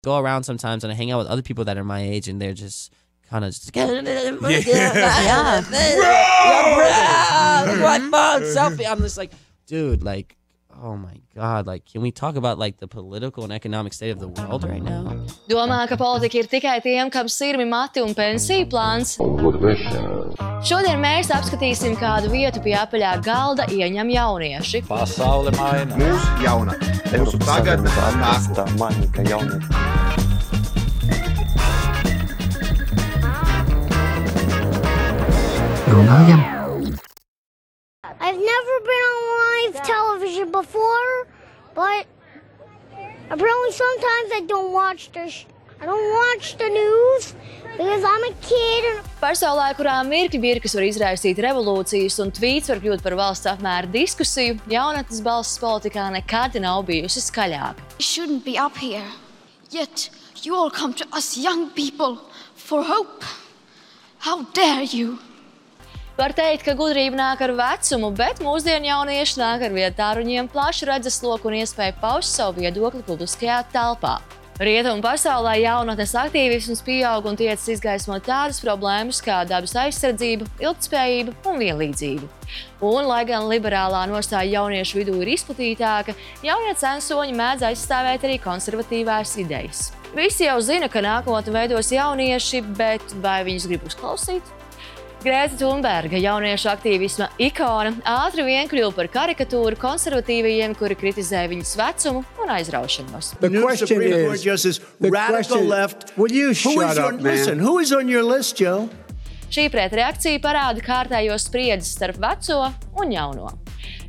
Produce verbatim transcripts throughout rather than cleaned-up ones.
go around sometimes and I hang out with other people that are my age and they're just kind of just yeah. yeah. My phone selfie. I'm just like, dude, like, oh my God, like, can we talk about like the political and economic state of the world right now? Domā, ka politika ir tikai tiem, kam sirmi mati un pensiju plāns. Šodien mēs apskatīsim, kādu vietu pie apaļā galda ieņem jaunieši. Pasaule maina. Mūsu jauna. Mūsu tagadne nākotne. Runājam. I've never been on live television before, but apparently sometimes I don't watch the sh- I don't watch the news because I'm a kid. And... Pasaulē, kurā mirkļi birkas var izraisīt revolūcijas un tvīts var kļūt par valsts apmēra diskusiju, jaunatnes balss politikā nekad nav bijusi skaļāka. You shouldn't be up here, yet you all come to us young people for hope. How dare you? Var teikt, ka gudrība nāk ar vecumu, bet mūsdienu jaunieši nāk ar vietu tāruņiem plašu redzesloku un iespēju paust savu viedokli publiskajā telpā. Rietumu pasaulē jaunatnes aktīvisms pieaug un tiecas izgaismot tādas problēmas kā dabas aizsardzība, ilgtspējība un vienlīdzība. Un, lai gan liberālā nostāja jauniešu vidū ir izplatītāka, jaunie censoņi mēdz aizstāvēt arī konservatīvās idejas. Visi jau zina, ka nākotni veidos jaunieši, bet vai viņus grib uzklausīt? Grēta Thunberga, jauniešu aktīvisma ikona, ātri vien kļuva par karikatūru konservatīvajiem, kuri kritizē viņas vecumu un aizraušanos. The question is, Justice, the radical left. Will you shut up, man? Listen, who is on your list, Joe? Šī pretreakcija parāda kārtējo spriedzes starp veco un jauno.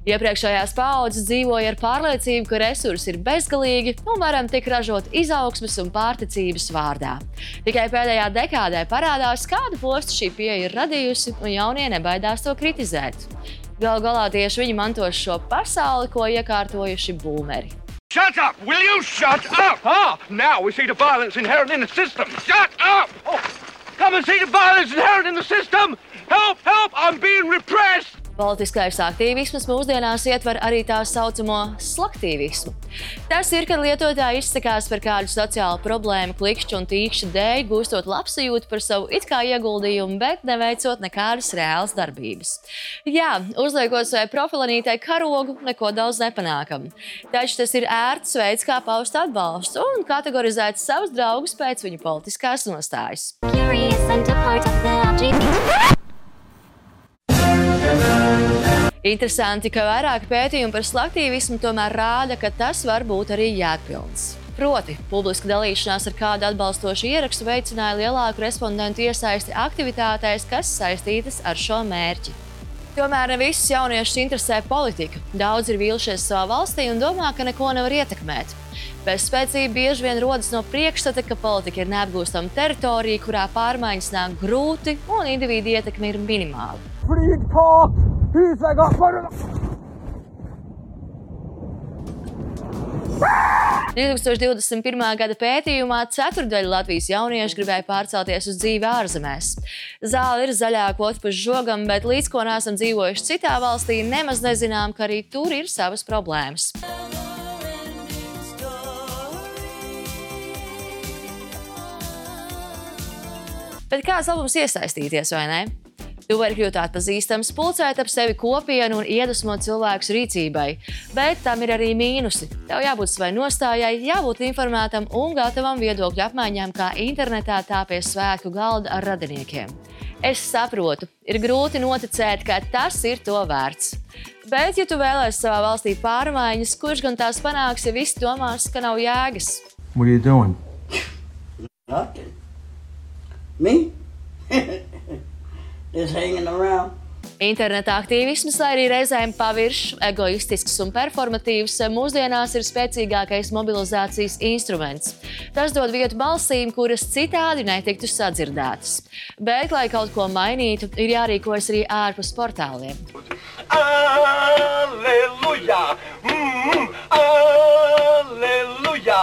Iepriekšējās paaudzes dzīvoja ar pārliecību, ka resursi ir bezgalīgi un varam tik ražot izaugsmes un pārticības vārdā. Tikai pēdējā dekādē parādās, kādu postu šī pieeja ir radījusi, un jaunie nebaidās to kritizēt. Galu galā tieši viņi mantos šo pasauli, ko iekārtojuši būmeri. Shut up! Will you shut up? Ah, now we see the violence inherent in the system. Shut up! Oh, come and see the violence inherent in the system! Help! Help! I'm being repressed! Politiskais aktīvisms mūsdienās ietver arī tā saucamo slaktīvismu. Tas ir, kad lietotāji izsakās par kādu sociālu problēmu klikšķu un tīkšķu dēļ, gūstot labsajūtu par savu it kā ieguldījumu, bet neveicot nekādas reālas darbības. Jā, uzliekot savai profilanītai karogu, neko daudz nepanākam. Taču tas ir ērts veids, kā paust atbalstu un kategorizēt savus draugus pēc viņu politiskās nostājas. Interesanti, ka vairāk pētījumi par slaktīvismu tomēr rāda, ka tas var būt arī jēgpilns. Proti, publiska dalīšanās ar kādu atbalstošu ierakstu veicināja lielāku respondentu iesaisti aktivitātēs, kas saistītas ar šo mērķi. Tomēr ne visus jauniešus interesē politika. Daudz ir vīlušies savā valstī un domā, ka neko nevar ietekmēt. Bezspēcība bieži vien rodas no priekšstata, ka politika ir neapgūstama teritorija, kurā pārmaiņas nāk grūti un individu ietekme ir minimāla. divtūkstoš divdesmit pirmā gada pētījumā ceturdaļa Latvijas jauniešu gribēja pārcelties uz dzīvi ārzemēs. Zāle ir zaļā kvota pa žogam, bet līdz ko neesam dzīvojuši citā valstī, nemaz nezinām, ka arī tur ir savas problēmas. Bet kāds labums iesaistīties, vai ne? Tu vari kļūt atpazīstams, pulcēt ap sevi kopienu un iedvesmot cilvēkus rīcībai. Bet tam ir arī mīnusi. Tev jābūt savai nostājai, jābūt informētam un gatavam viedokļu apmaiņām kā internetā, tā pie svētku galda ar radiniekiem. Es saprotu, ir grūti noticēt, ka tas ir to vērts. Bet, ja tu vēlēsi savā valstī pārmaiņas, kurš gan tās panāks, ja visi domās, ka nav jēgas? What are you doing? Nothing. Me? Just hanging around. Interneta aktīvisms, lai arī reizēm paviršs, egoistisks un performatīvs, mūsdienās ir spēcīgākais mobilizācijas instruments. Tas dod vietu balsīm, kuras citādi netiktu sadzirdētas. Bet, lai kaut ko mainītu, ir jārīkojas arī ārpus portāliem. Alleluja! Mm, Halleluja!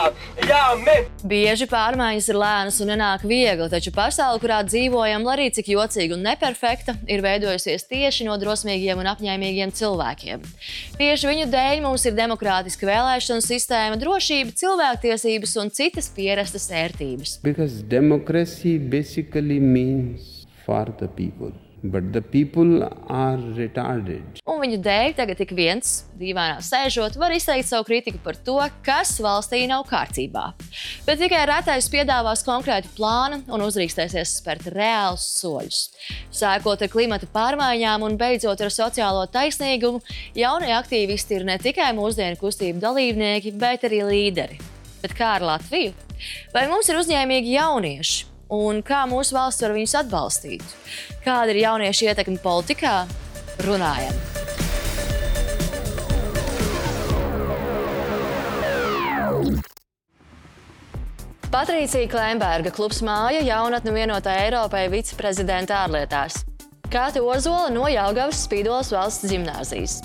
Jā, amen! Bieži pārmaiņas ir lēnas un nenāk viegli, taču pasaule, kurā dzīvojam, lai arī cik jocīga un neperfekta, ir veidojusies tieši no drosmīgiem un apņēmīgiem cilvēkiem. Tieši viņu dēļ mums ir demokrātiska vēlēšanu sistēma, drošība, cilvēktiesības un citas pierastas ērtības. Because democracy basically means for the people. But the people are retarded. Un viņu dēļ tagad ik viens, dīvainā sēžot, var izteikt savu kritiku par to, kas valstī nav kārtībā. Bet tikai retais piedāvās konkrētu plānu un uzrīkstēsies spērt reālus soļus. Sākot ar klimata pārmaiņām un beidzot ar sociālo taisnīgumu, jaunie aktīvisti ir ne tikai mūsdienu kustību dalībnieki, bet arī līderi. Bet kā ar Latviju? Vai mums ir uzņēmīgi jaunieši? Un kā mūsu valsts var viņus atbalstīt? Kāda ir jauniešu ietekme politikā? Runājam! Patricija Klemberga, klubs Māja, jaunatne vienotā Eiropai viceprezidenta ārlietās. Kāte Ozola no Jelgavas Spīdolas valsts ģimnāzijas.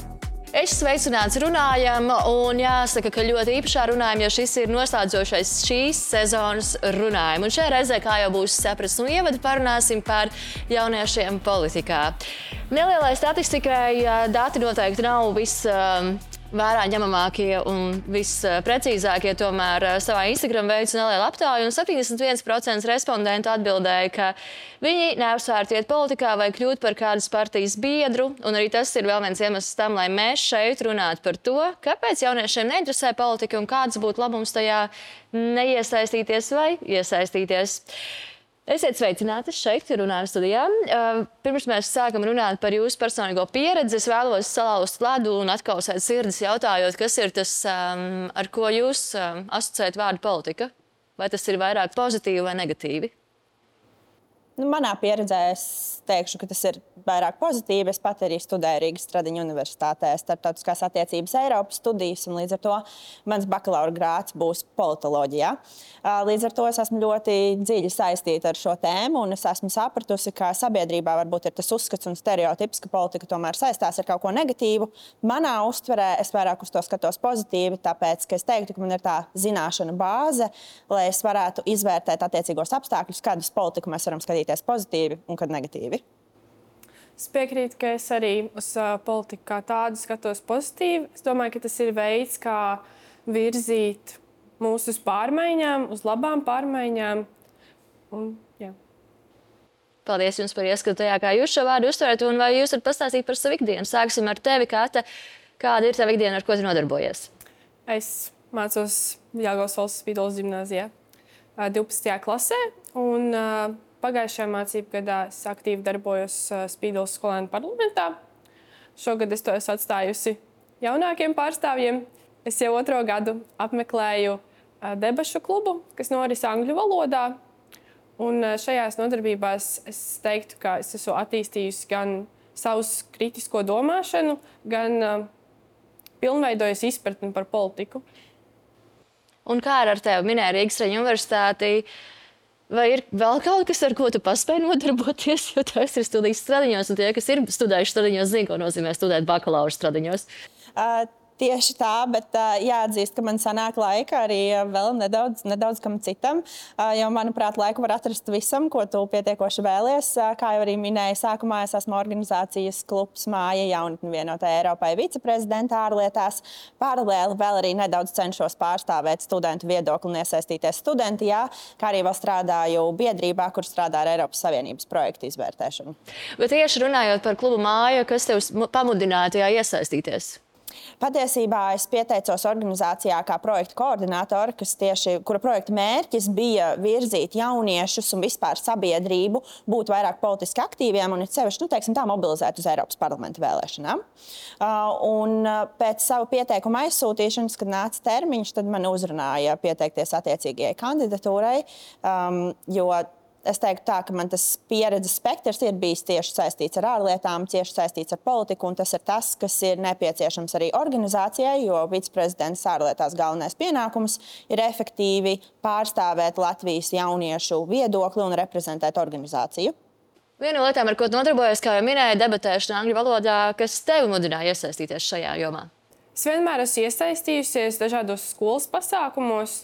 Es sveicināts runājam, un jāsaka, ka ļoti īpašā runājam, jo šis ir noslēdzošais šīs sezonas runājam. Un šajā reizē, kā jau būs saprast un ievadu, parunāsim par jauniešiem politikā. Nelielai statistikai dati noteikti nav viss vērā ņemamākie un visprecīzākie, tomēr savā Instagram veicu nelielu aptauju, un septiņdesmit viens procents respondentu atbildēja, ka viņi neapsvērtu iet politikā vai kļūt par kādas partijas biedru, un arī tas ir vēl viens iemesls tam, lai mēs šeit runātu par to, kāpēc jauniešiem neinteresē politika un kāds būtu labums tajā neiesaistīties vai iesaistīties. Esiet sveicināti šeit, runājam studijā. Pirms mēs sākam runāt par jūsu personīgo pieredzi, es vēlos salauzt ledu un atkausēt sirdis jautājot, kas ir tas, ar ko jūs asociējat vārdu politika? Vai tas ir vairāk pozitīvi vai negatīvi? Nu, manā pieredzē es teikšu, ka tas ir vairāk pozitīvi. Es pat arī studēju Rīgas Stradiņu universitātē starptautiskās attiecības Eiropas studijas, un līdz ar to mans bakalaura grāds būs politoloģijā. Līdz ar to es esmu ļoti dziļi saistīta ar šo tēmu, un es esmu sapratusi, ka sabiedrībā varbūt ir tas uzskats un stereotips, ka politika tomēr saistās ar kaut ko negatīvu. Manā uztverē es vairāk uz to skatos pozitīvi, tāpēc, ka es teiktu, ka man ir tā zināšana bāze, lai es varētu izvērtēt attiecīgos apstākļus, kādus politiku mēs varam skatīties pozitīvi un kad negatīvi. Es piekrītu, ka es arī uz uh, politiku kā tādu skatos pozitīvi. Es domāju, ka tas ir veids, kā virzīt mūs uz pārmaiņām, uz labām pārmaiņām. Un, jā. Paldies jums par ieskatu tajā, kā jūs šo vārdu uztverat, un vai jūs varat pastāstīt par savu ikdienu? Sāksim ar tevi, Kāte. Kāda ir tava ikdiena, ar ko tu nodarbojies? Es mācos Jelgavas valsts Spīdolas ģimnāzijā uh, divpadsmitajā klasē, un uh, pagājušajā mācību gadā es aktīvi darbojos Spīdolas skolēnu parlamentā. Šogad es to esmu atstājusi jaunākiem pārstāvjiem. Es jau otro gadu apmeklēju debašu klubu, kas noris angļu valodā. Un šajās nodarbībās es teiktu, ka es esmu attīstījusi gan savu kritisko domāšanu, gan uh, pilnveidojusi izpratni par politiku. Un kā ar tevi minēja Rīgas Stradiņu universitāti? Vai ir vēl kaut kas, ar ko tu paspēji nodarboties, jo tas ir studijas Stradiņos, un tie, kas ir studējuši Stradiņos, zina, ko nozīmē studēt bakalaura Stradiņos? Uh, tieši tā, bet uh, jāatzīst, ka man sanāk laika arī uh, vēl nedaudz, nedaudz kam citam, uh, jo, manuprāt, laiku var atrast visam, ko tu pietiekoši vēlies. Uh, kā jau arī minēju sākumā, es esmu organizācijas klubs Māja, jaunatne vienotā Eiropai viceprezidenta ārlietās. Paralēli vēl arī nedaudz cenšos pārstāvēt studentu viedokli un iesaistīties studentijā, kā arī vēl strādāju biedrībā, kur strādā ar Eiropas Savienības projektu izvērtēšanu. Bet tieši runājot par klubu Māja, kas tev pamudināja tajā iesaistīties? Patiesībā es pieteicos organizācijā kā projekta koordinātori, kas tieši, kura projekta mērķis bija virzīt jauniešus un vispār sabiedrību, būt vairāk politiski aktīviem un sevišķi, nu, teiksim tā, mobilizēt uz Eiropas parlamenta vēlēšanām. Un pēc savu pieteikumu aizsūtīšanas, kad nāca termiņš, tad man uzrunāja pieteikties attiecīgajai kandidatūrai, jo es teiktu tā, ka man tas pieredzes spektrs ir bijis tieši saistīts ar ārlietām, tieši saistīts ar politiku, un tas ir tas, kas ir nepieciešams arī organizācijai, jo viceprezidents ārlietās galvenais pienākums ir efektīvi pārstāvēt Latvijas jauniešu viedokli un reprezentēt organizāciju. Viena no lietām, ar ko tu nodarbojies, kā jau minēja, debatēšana angļu valodā, kas tevi mudināja iesaistīties šajā jomā? Es vienmēr esmu iesaistījusies dažādos skolas pasākumos,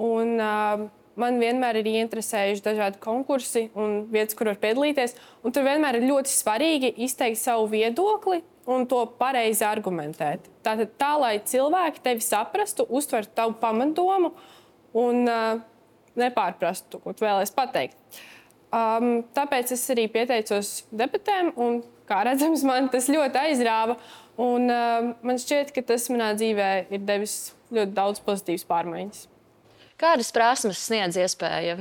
un uh, man vienmēr ir ieinteresējuši dažādi konkursi un vietas, kur var piedalīties. Un tur vienmēr ir ļoti svarīgi izteikt savu viedokli un to pareizi argumentēt. Tātad tā, lai cilvēki tevi saprastu, uztvertu tavu pamatdomu un uh, nepārprastu, ko tu vēlies pateikt. Um, tāpēc es arī pieteicos debatēm, un, kā redzams, man tas ļoti aizrāva. Un, uh, man šķiet, ka tas manā dzīvē ir devis ļoti daudz pozitīvas pārmaiņas. Kādas prasmes sniedz iespēja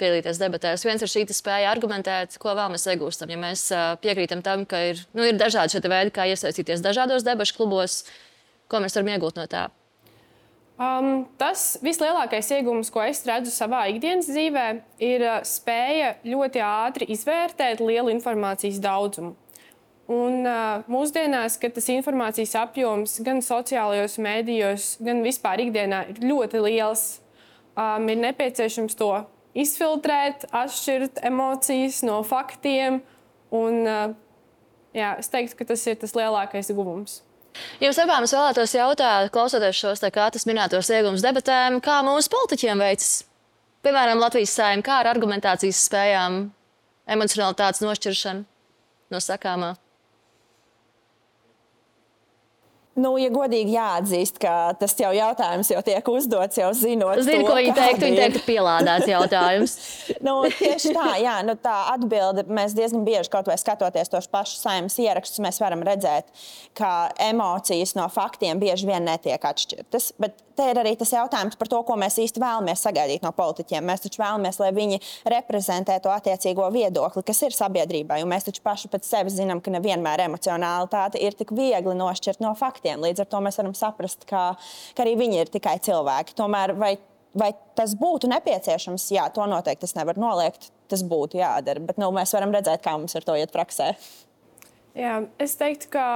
piedalīties debatēs? Viens ir šī spēja argumentēt, ko vēl mēs iegūstam. Ja mēs uh, piekrītam tam, ka ir, nu, ir dažādi šie veidi, kā iesaistīties dažādos debašu klubos, ko mēs varam iegūt no tā? Um, tas vislielākais iegūms, ko es redzu savā ikdienas dzīvē, ir uh, spēja ļoti ātri izvērtēt lielu informācijas daudzumu. Un uh, mūsdienās, kad tas informācijas apjoms gan sociālajos mēdījos, gan vispār ikdienā ir ļoti liels, um, ir nepieciešams to izfiltrēt, atšķirt emocijas no faktiem. Un, uh, jā, es teiktu, ka tas ir tas lielākais guvums. Jums abām es vēlētos jautāt, klausoties šos tā kā tas minētos iegums debatēm, kā mūsu politiķiem veicas? Piemēram, Latvijas Saeima, kā ar argumentācijas spējām, emocionalitātes nošķiršanu no sakāmā? Nu, ja godīgi jāatzīst, ka tas jau jautājums jau tiek uzdots, jau zinot Zinu, to, ko viņi teikt, viņi teikt, pielādēts jautājums. nu, tieši tā, jā, nu, tā atbilde, mēs diezgan bieži kaut vai skatoties tos pašus Saeimas ierakstus, mēs varam redzēt, ka emocijas no faktiem bieži vien netiek atšķirtas. Bet te ir arī tas jautājums par to, ko mēs īsti vēlamies sagaidīt no politiķiem. Mēs taču vēlamies, lai viņi reprezentē to attiecīgo viedokli, kas ir sabiedrībai, un mēs taču paši pēc sevis zinām, ka nevienmēr emocionalitāte ir tik viegli nošķirt no faktiem. Līdz ar to mēs varam saprast, ka, ka arī viņi ir tikai cilvēki. Tomēr vai, vai tas būtu nepieciešams? Jā, to noteikti es nevaru noliegt. Tas būtu jādara, bet nu, mēs varam redzēt, kā mums ar to iet praksē. Jā, es teiktu, ka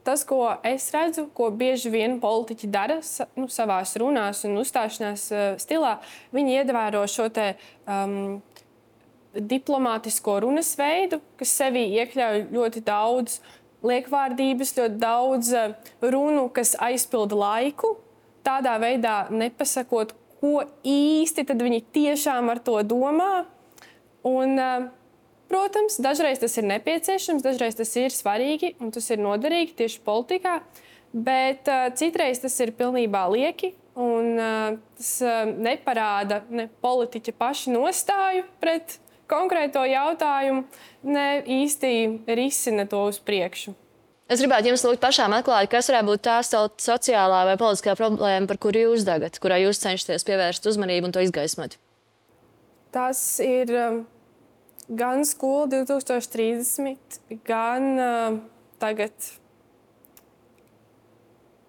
tas, ko es redzu, ko bieži vien politiķi dara nu, savās runās un uzstāšanās uh, stilā, viņi ievēro šo te um, diplomātisko runas veidu, kas sevī iekļauj ļoti daudz liekvārdības, ļoti daudz runu, kas aizpilda laiku, tādā veidā nepasakot, ko īsti tad viņi tiešām ar to domā. Un, protams, dažreiz tas ir nepieciešams, dažreiz tas ir svarīgi un tas ir noderīgi tieši politikā, bet citreiz tas ir pilnībā lieki un tas neparāda ne politiķa paši nostāju pret konkrēto jautājumu, ne īsti risina to uz priekšu. Es gribētu jums lūgt pašām atklāt, kas varētu būt tā sociālā vai politiskā problēma, par kuru jūs dagat, kurā jūs cenšaties pievērst uzmanību un to izgaismot. Tas ir um, gan skola divi tūkstoši trīsdesmit, gan uh, tagad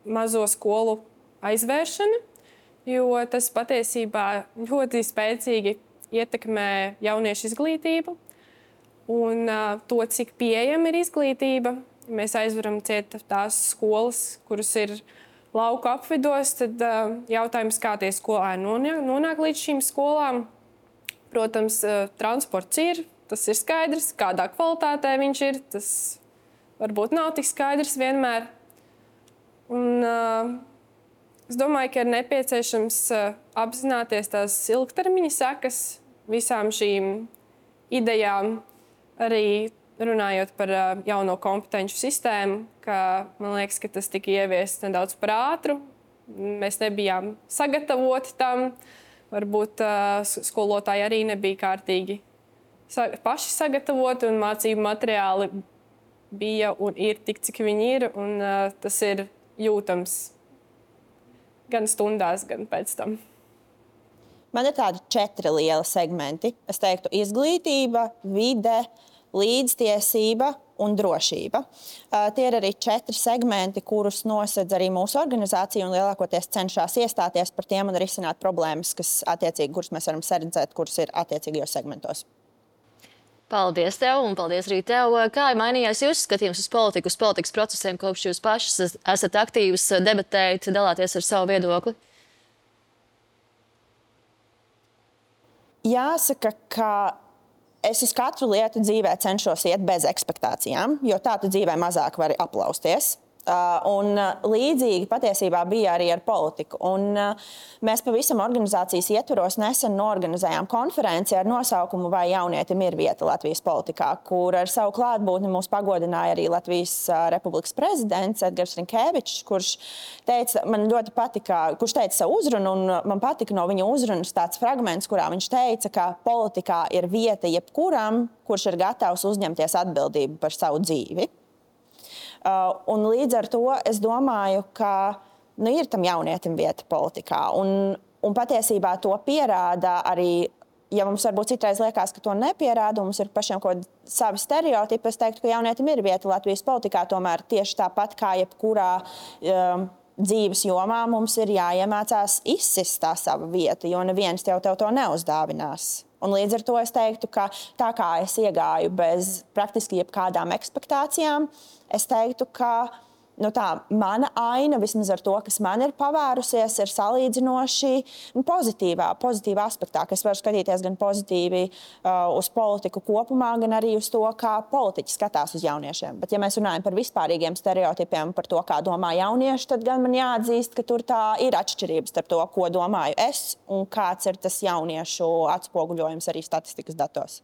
mazo skolu aizvēršana, jo tas patiesībā ļoti spēcīgi ietekmē jauniešu izglītību un uh, to, cik pieejama ir izglītība. Ja mēs aizveram ciet tās skolas, kuras ir lauku apvidos, tad uh, jautājums, kā tie skolēni nonāk, nonāk līdz šīm skolām. Protams, uh, transports ir, tas ir skaidrs, kādā kvalitātē viņš ir, tas varbūt nav tik skaidrs vienmēr. Un, uh, Es domāju, ka ir nepieciešams apzināties tās ilgtermiņa sekas visām šīm idejām, arī runājot par jauno kompetenču sistēmu, ka man liekas, ka tas tika ieviests nedaudz par ātru. Mēs nebijām sagatavoti tam. Varbūt skolotāji arī nebija kārtīgi paši sagatavoti un mācību materiāli bija un ir tik, cik viņi ir, un tas ir jūtams. Gan stundās, gan pēc tam. Man ir tādi četri lieli segmenti. Es teiktu izglītība, vide, līdztiesība un drošība. Uh, tie ir arī četri segmenti, kurus nosedz arī mūsu organizācija un lielākoties cenšas iestāties par tiem un risināt problēmas, kas attiecīgi, kuras mēs varam saredzēt, kuras ir attiecīgajos segmentos. Paldies tev un paldies arī tev. Kā ir mainījies jūsu skatījums uz politiku, uz politikas procesiem, kopš jūs pašas esat aktīvas, debatējat, dalāties ar savu viedokli? Jāsaka, ka es uz katru lietu dzīvē cenšos iet bez ekspektācijām, jo tā tu dzīvē mazāk vari aplausties. Un līdzīgi patiesībā bija arī ar politiku. Un mēs pavisam organizācijas ietvaros nesen norganizējām konferenci ar nosaukumu Vai jaunietim ir vieta Latvijas politikā, kur ar savu klātbūtni mūs pagodināja arī Latvijas Republikas prezidents Edgars Rinkēvičs, kurš teica, man ļoti patika, kurš teica savu uzrunu, un man patika no viņa uzrunas tāds fragments, kurā viņš teica, ka politikā ir vieta jebkuram, kurš ir gatavs uzņemties atbildību par savu dzīvi. Uh, un līdz ar to es domāju, ka nu, ir tam jaunietim vieta politikā. Un, un patiesībā to pierāda arī, ja mums varbūt citreiz liekas, ka to nepierāda, mums ir pašiem kaut kādi savi stereotipi, es teiktu, ka jaunietim ir vieta Latvijas politikā, tomēr tieši tāpat kā jebkurā um, dzīves jomā mums ir jāiemācās izsist tā sava vieta, jo neviens tev, tev to neuzdāvinās. Un līdz ar to es teiktu, ka tā kā es iegāju bez praktiski jebkādām ekspektācijām, es teiktu, ka nu tā, mana aina, vismaz ar to, kas man ir pavērusies, ir salīdzinoši nu, pozitīvā, pozitīvā aspektā, ka es varu skatīties gan pozitīvi uh, uz politiku kopumā, gan arī uz to, kā politiķi skatās uz jauniešiem. Bet ja mēs runājam par vispārīgiem stereotipiem, par to, kā domā jaunieši, tad gan man jāatzīst, ka tur tā ir atšķirības starp to, ko domāju es un kāds ir tas jauniešu atspoguļojums arī statistikas datos.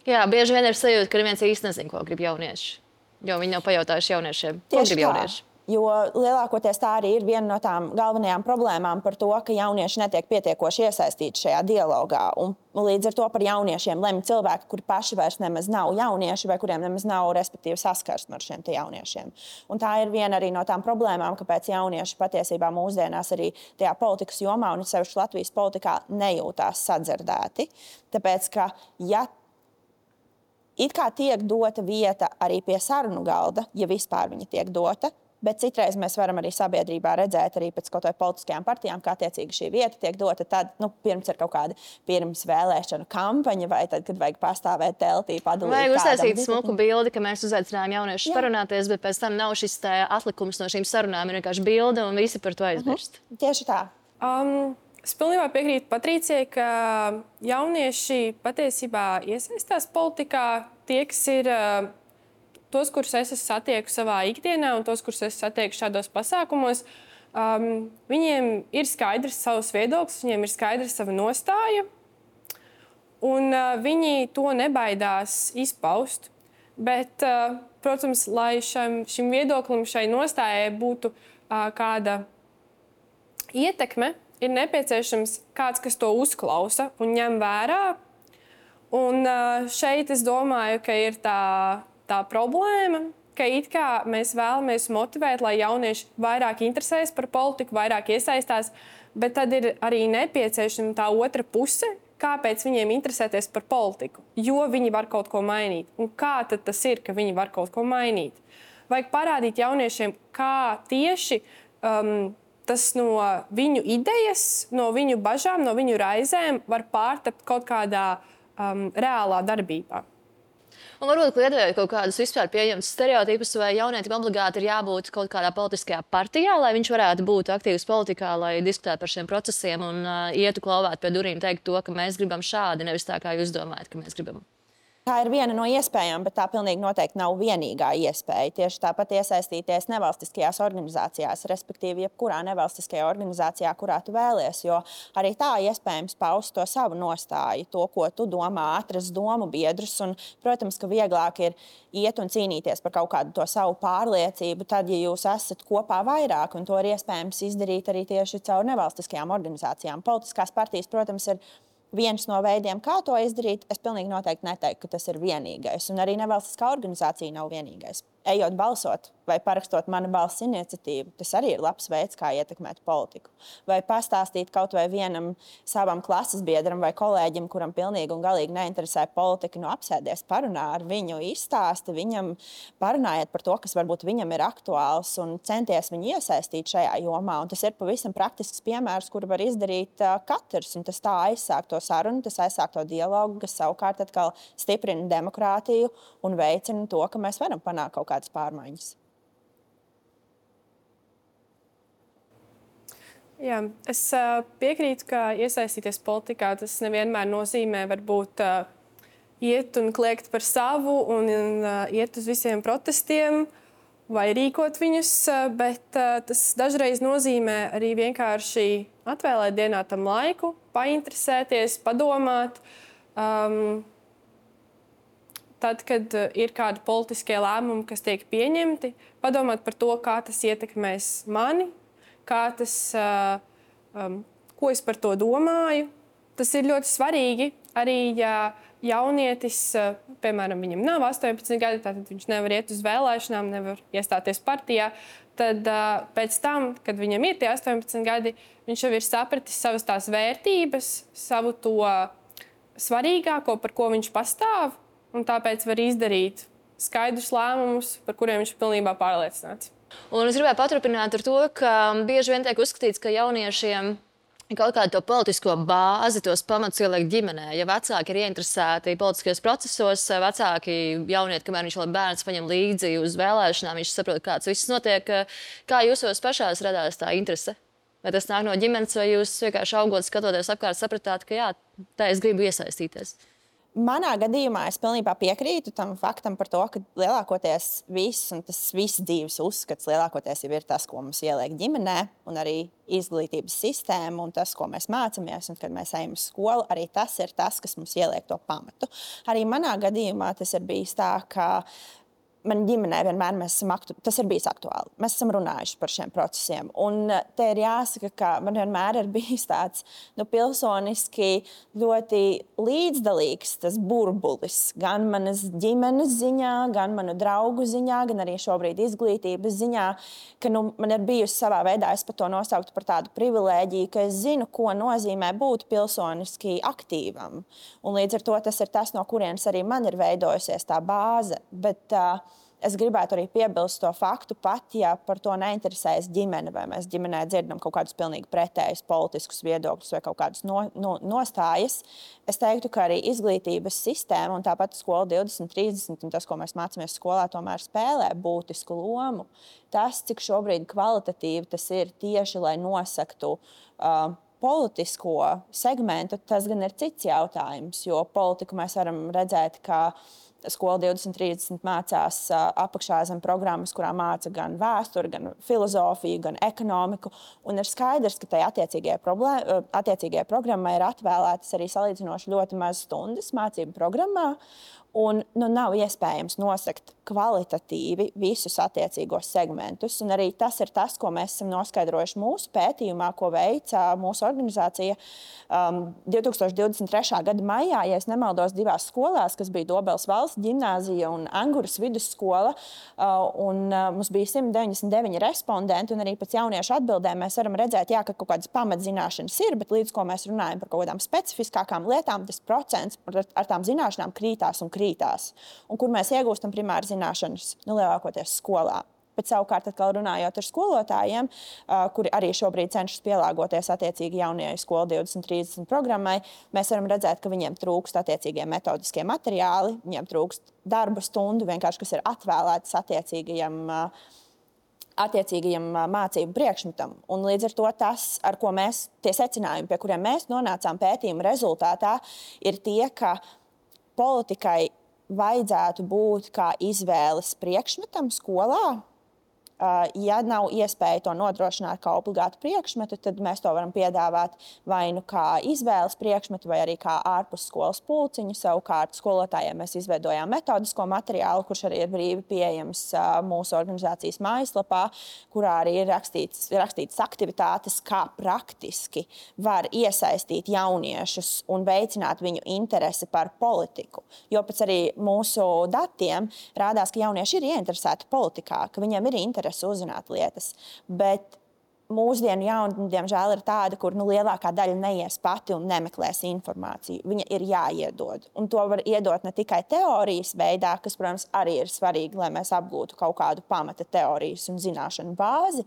Jā, bieži vien ir sajūta, ka neviens īsti nezin, ko grib jaunieši. Jo viņi nav pajautājuši jauniešiem, ko grib jaunieši. Jo lielākoties tā arī ir viena no tām galvenajām problēmām par to, ka jaunieši netiek pietiekoši iesaistīti šajā dialogā. Un līdz ar to par jauniešiem lemj cilvēki, kuri paši vairs nemaz nav jaunieši vai kuriem nemaz nav respektīvi saskarsme ar šiem te jauniešiem. Un tā ir viena arī no tām problēmām, kāpēc jaunieši patiesībā mūsdienās arī tajā politikas jomā un sevišķi Latvijas politikā nejūtās sadzirdēti. Tāpēc, ka ja it kā tiek dota vieta arī pie sarunu galda, ja vispār viņa tiek dota, bet citreiz mēs varam arī sabiedrībā redzēt arī pēc kaut vai politiskajām partijām, kā attiecīgi šī vieta tiek dota tad, nu, pirms ir kaut kāda pirms vēlēšanu kampaņa vai tad, kad vajag pastāvēt teltī, padalīt kādam. Vai uztaisīt disciplīnu. smuku bildi, ka mēs uzaicinājām jauniešus parunāties, bet pēc tam nav šis tā atlikums no šīm sarunām, ir vienkārši bilde un visi par to aizmirst. Uh-huh. Tieši tā. Um, Es pilnībā piekrītu Patricijai, ka jaunieši patiesībā iesaistās politikā. Tie, kas ir uh, tos, kurus es satieku savā ikdienā un tos, kurus es satieku šādos pasākumos, um, viņiem ir skaidrs savs viedoklis, viņiem ir skaidrs sava nostāja, un uh, viņi to nebaidās izpaust. Bet, uh, protams, lai šam, šim viedoklim, šai nostājai būtu uh, kāda ietekme, ir nepieciešams kāds, kas to uzklausa un ņem vērā. Un šeit es domāju, ka ir tā, tā problēma, ka it kā mēs vēlamies motivēt, lai jaunieši vairāk interesēs par politiku, vairāk iesaistās, bet tad ir arī nepieciešama tā otra puse, kāpēc viņiem interesēties par politiku, jo viņi var kaut ko mainīt. Un kā tad tas ir, ka viņi var kaut ko mainīt? Vajag parādīt jauniešiem, kā tieši um, tas no viņu idejas, no viņu bažām, no viņu raizēm var pārtapt kaut kādā um, reālā darbībā. Un varbūt kliedējot kaut kādus vispār pieejams stereotipus, vai jaunietim obligāti ir jābūt kaut kādā politiskajā partijā, lai viņš varētu būt aktīvs politikā, lai diskutētu par šiem procesiem un uh, ietu klauvēt pie durīm, teikt to, ka mēs gribam šādi, nevis tā, kā jūs domājat, ka mēs gribam. Tā ir viena no iespējām, bet tā pilnīgi noteikti nav vienīgā iespēja. Tieši tāpat iesaistīties nevalstiskajās organizācijās, respektīvi jebkurā nevalstiskajā organizācijā, kurā tu vēlies, jo arī tā iespējams paust to savu nostāju, to, ko tu domā, atrast domu biedrus. Un, protams, ka vieglāk ir iet un cīnīties par kaut kādu to savu pārliecību, tad, ja jūs esat kopā vairāk, un to ir iespējams izdarīt arī tieši caur nevalstiskajām organizācijām. Politiskās partijas, protams, ir viens no veidiem, kā to izdarīt. Es pilnīgi noteikti neteiktu, ka tas ir vienīgais. Un arī nevalstiskā organizācija nav vienīgais. Ejot balsot vai parakstot Mana balss iniciatīvu, tas arī ir labs veids, kā ietekmēt politiku. Vai pastāstīt kaut vai vienam savam klases biedram vai kolēģim, kuram pilnīgi un galīgi neinteresē politika, nu apsēdies, parunā ar viņu, izstāsti viņam, parunājiet par to, kas varbūt viņam ir aktuāls un centies viņu iesaistīt šajā jomā. Un tas ir pavisam praktisks piemērs, kuru var izdarīt uh, katrs. Un tas tā aizsāk to sarunu, tas aizsāk to dialogu, kas savukārt atkal stiprina demokrātiju un veicina to, ka mēs varam panākt kaut kādas pārmaiņas. Jā, es uh, piekrītu, ka iesaistīties politikā tas nevienmēr nozīmē varbūt uh, iet un kliegt par savu un uh, iet uz visiem protestiem. vai rīkot viņus, bet tas dažreiz nozīmē arī vienkārši atvēlēt dienā tam laiku, painteresēties, padomāt. Um, Tad, kad ir kādi politiskie lēmumi, kas tiek pieņemti, padomāt par to, kā tas ietekmēs mani, kā tas, uh, um, ko es par to domāju. Tas ir ļoti svarīgi. Arī ja jaunietis, uh, piemēram, viņam nav astoņpadsmit gadi, tātad viņš nevar iet uz vēlēšanām, nevar iestāties partijā, tad uh, pēc tam, kad viņam ir tie astoņpadsmit gadi, viņš jau ir sapratis savas tās vērtības, savu to svarīgāko, par ko viņš pastāv. Un tāpēc var izdarīt skaidrus lēmumus, par kuriem viņš ir pilnībā pārliecināts. Un es gribēju paturpināt ar to, ka bieži vien tiek uzskatīts, ka jauniešiem kaut kādu to politisko bāzi, tos pamatus ieliek ģimenē. Ja vecāki ir ieinteresēti politiskajos procesos, vecāki jaunieti, kamēr viņš vēl bērns paņem līdzi uz vēlēšanām, viņš saprot, kāds viss notiek. Kā jūsos pašās radās tā interese? Vai tas nāk no ģimenes, vai jūs vienkārši augot, skatoties apkārt, sapratāt, ka jā, tā es gribu iesaistīties? Manā gadījumā es pilnībā piekrītu tam faktam par to, ka lielākoties viss, un tas viss dzīves uzskats lielākoties jau ir tas, ko mums ieliek ģimenē, un arī izglītības sistēma, un tas, ko mēs mācāmies, un kad mēs ejam uz skolu, arī tas ir tas, kas mums ieliek to pamatu. Arī manā gadījumā tas ir bijis tā, ka man ģimenē vienmēr mēs esam aktu... tas ir bijis aktuāli. Mēs esam runājuši par šiem procesiem. Un te ir jāsaka, ka man vienmēr ir bijis tāds nu, pilsoniski ļoti līdzdalīgs tas burbulis. Gan manas ģimenes ziņā, gan manu draugu ziņā, gan arī šobrīd izglītības ziņā, ka nu, man ir bijusi savā veidā, es pat to nosauktu par tādu privilēģiju, ka es zinu, ko nozīmē būt pilsoniski aktīvam. Un līdz ar to tas ir tas, no kurienes arī man ir veidojusies tā bāze. Bet, uh, Es gribētu arī piebilst to faktu, pat ja par to neinteresējas ģimene, vai mēs ģimenē dzirdam kaut kādus pilnīgi pretējus politiskus viedokļus vai kaut kādus no, no, nostājas. Es teiktu, ka arī izglītības sistēma un tāpat skola divdesmit trīsdesmit un tas, ko mēs mācāmies skolā, tomēr spēlē būtisku lomu. Tas, cik šobrīd kvalitatīvi tas ir tieši, lai nosaktu uh, politisko segmentu, tas gan ir cits jautājums, jo politiku mēs varam redzēt, ka Skola divdesmit trīsdesmit mācās apakšā zem programmas, kurā māca gan vēsturi, gan filozofiju, gan ekonomiku. Un ir skaidrs, ka tai attiecīgajai, problēma, attiecīgajai programmai ir atvēlētas arī salīdzinoši ļoti maz stundas mācību programmā. Un nu, nav iespējams nosakt kvalitatīvi visus attiecīgos segmentus. Un arī tas ir tas, ko mēs esam noskaidrojuši mūsu pētījumā, ko veica mūsu organizācija um, divtūkstoš divdesmit trešā gada maijā, ja es nemaldos, divās skolās, kas bija Dobels valsts ģimnāzija un Anguras vidusskola. Uh, un, uh, mums bija simt deviņdesmit deviņi respondenti, un arī pēc jauniešu atbildēm mēs varam redzēt, jā, ka kaut kādas pamatzināšanas ir, bet līdz ko mēs runājam par kaut kādām specifiskākām lietām, tas procents ar, ar tām zināšanām krītās un krītās. Un kur mēs iegūstam primāri zināšanas, nu, lielākoties skolā. Bet savukārt, atkal runājot ar skolotājiem, kuri arī šobrīd cenšas pielāgoties attiecīgi jaunajai skola divdesmit trīsdesmit programmai, mēs varam redzēt, ka viņiem trūkst attiecīgie metodiskie materiāli, viņiem trūkst darba stundu, vienkārši, kas ir atvēlētas attiecīgajam, attiecīgajam mācību priekšmetam. Un līdz ar to tas, ar ko mēs, tie secinājumi, pie kuriem mēs nonācām pētījuma rezultātā, ir tie, ka politikai vajadzētu būt kā izvēles priekšmetam skolā. Ja nav iespēja to nodrošināt kā obligātu priekšmetu, tad mēs to varam piedāvāt vai nu kā izvēles priekšmetu, vai arī kā ārpus skolas pulciņu. Savukārt skolotājiem mēs izveidojām metodisko materiālu, kurš arī ir brīvi pieejams mūsu organizācijas mājaslapā, kurā arī ir rakstīts, rakstīts aktivitātes, kā praktiski var iesaistīt jauniešus un veicināt viņu interesi par politiku. Jo pēc arī mūsu datiem rādās, ka jaunieši ir ieinteresēti politikā, ka viņiem ir interesi uzzināt lietas, bet mūsdienu jauni, diemžēl, ir tāda, kur nu, lielākā daļa neies pati un nemeklēs informāciju. Viņa ir jāiedod. Un to var iedot ne tikai teorijas veidā, kas, protams, arī ir svarīgi, lai mēs apgūtu kaut kādu pamata teorijas un zināšanu bāzi,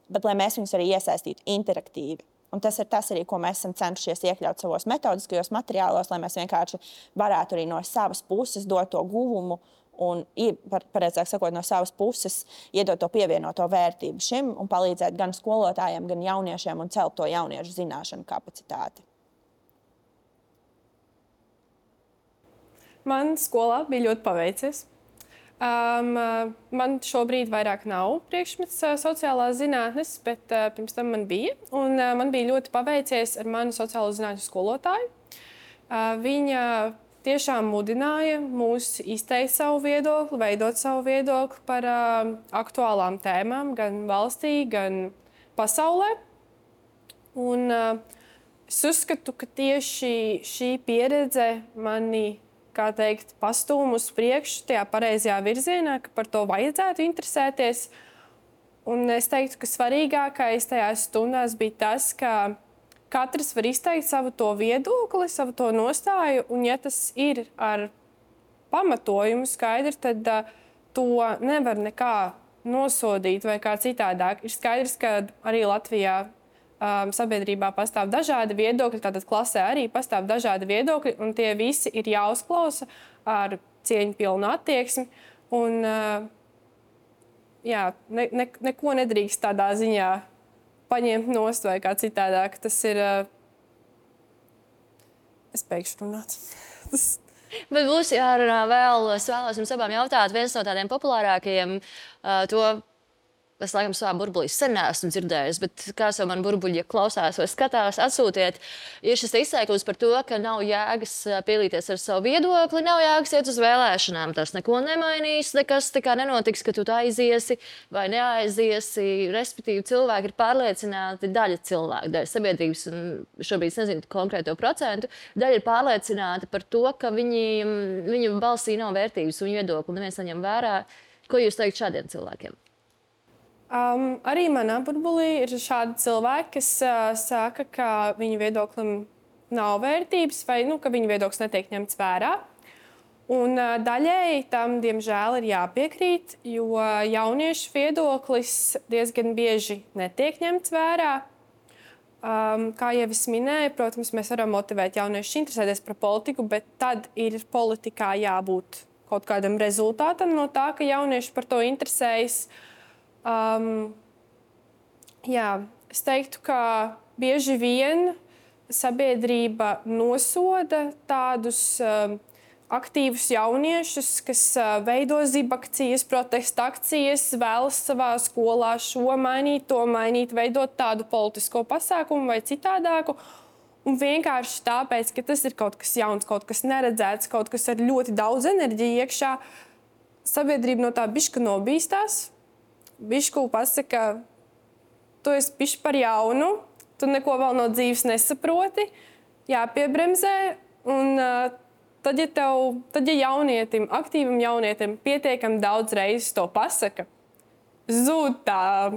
bet lai mēs viņus arī iesaistītu interaktīvi. Un tas ir tas arī, ko mēs esam cenšies iekļaut savos metodiskajos materiālos, lai mēs vienkārši varētu arī no savas puses dot to guvumu un, pareizāk sakot, no savas puses iedot to pievienoto vērtību šim un palīdzēt gan skolotājiem, gan jauniešiem un celt to jauniešu zināšanu kapacitāti. Man skolā bija ļoti paveicies. Um, man šobrīd vairāk nav priekšmets sociālās zinātnes, bet uh, pirms tam man bija. Un, uh, man bija ļoti paveicies ar manu sociālo zinātņu skolotāju. Uh, viņa tiešām mudināja mūs izteikt savu viedokli, veidot savu viedokli par uh, aktuālām tēmām gan valstī, gan pasaulē. Un, uh, es uzskatu, ka tieši šī pieredze mani kā teikt, pastūmu uz priekšu tajā pareizajā virzienā, ka par to vajadzētu interesēties. Un es teiktu, ka svarīgākais tajās stundās bija tas, ka katrs var izteikt savu to viedokli, savu to nostāju, un ja tas ir ar pamatojumu skaidri, tad uh, to nevar nekā nosodīt vai kā citādāk. Ir skaidrs, ka arī Latvijā Um, sabiedrībā pastāv dažādi viedokļi, tātad klasē arī pastāv dažādi viedokļi, un tie visi ir jāuzklausa ar cieņpilnu attieksmi. Un, uh, jā, ne, ne, neko nedrīkst tādā ziņā paņemt nost vai kā citādāk. Tas ir... Uh, es beigšu runāt. Tas... Bet būs jārunā vēl, es vēlos jums abām jautāt, viens no tādiem populārākajiem uh, to... Es, laikam, savā burbulī sen neesmu dzirdējis, bet kāds jau man burbuļi klausās vai skatās, atsūtiet, ir šis izteikums par to, ka nav jēgas pielīties ar savu viedokli, nav jēgas iet uz vēlēšanām. Tas neko nemainīs, nekas tā kā nenotiks, ka tu aiziesi vai neaiziesi. Respektīvi, cilvēki ir pārliecināti, daļa cilvēku, daļa sabiedrības, un šobrīd es nezinu konkrēto procentu, daļa ir pārliecināta par to, ka viņi, viņu balsī nav vērtības un viedokli, neviens neņem vērā. Ko jūs teikt šādiem cilvēkiem? Um, arī manā burbulī ir šādi cilvēki, kas uh, saka, ka viņu viedoklim nav vērtības vai nu, ka viņu viedoklis netiek ņemts vērā. Un uh, daļēji tam, diemžēl, ir jāpiekrīt, jo jauniešu viedoklis diezgan bieži netiek ņemts vērā. Um, kā jau es minēju, protams, mēs varam motivēt jauniešus interesēties par politiku, bet tad ir politikā jābūt kaut kādam rezultātam no tā, ka jaunieši par to interesējas. Um, jā, es teiktu, ka bieži vien sabiedrība nosoda tādus um, aktīvus jauniešus, kas uh, veido zibakcijas, protesta akcijas, vēlas savā skolā šo mainīt, to mainīt, veidot tādu politisko pasākumu vai citādāku. Un vienkārši tāpēc, ka tas ir kaut kas jauns, kaut kas neredzēts, kaut kas ar ļoti daudz enerģiju iekšā, sabiedrība no tā bišķi nobīstās. Bišku pasaka, tu esi bišķi par jaunu, tu neko vēl no dzīves nesaproti, jāpiebremzē. Un uh, tad, ja tev, tad, ja jaunietim, aktīvam jaunietim pietiekami daudz reizes to pasaka, zūd tā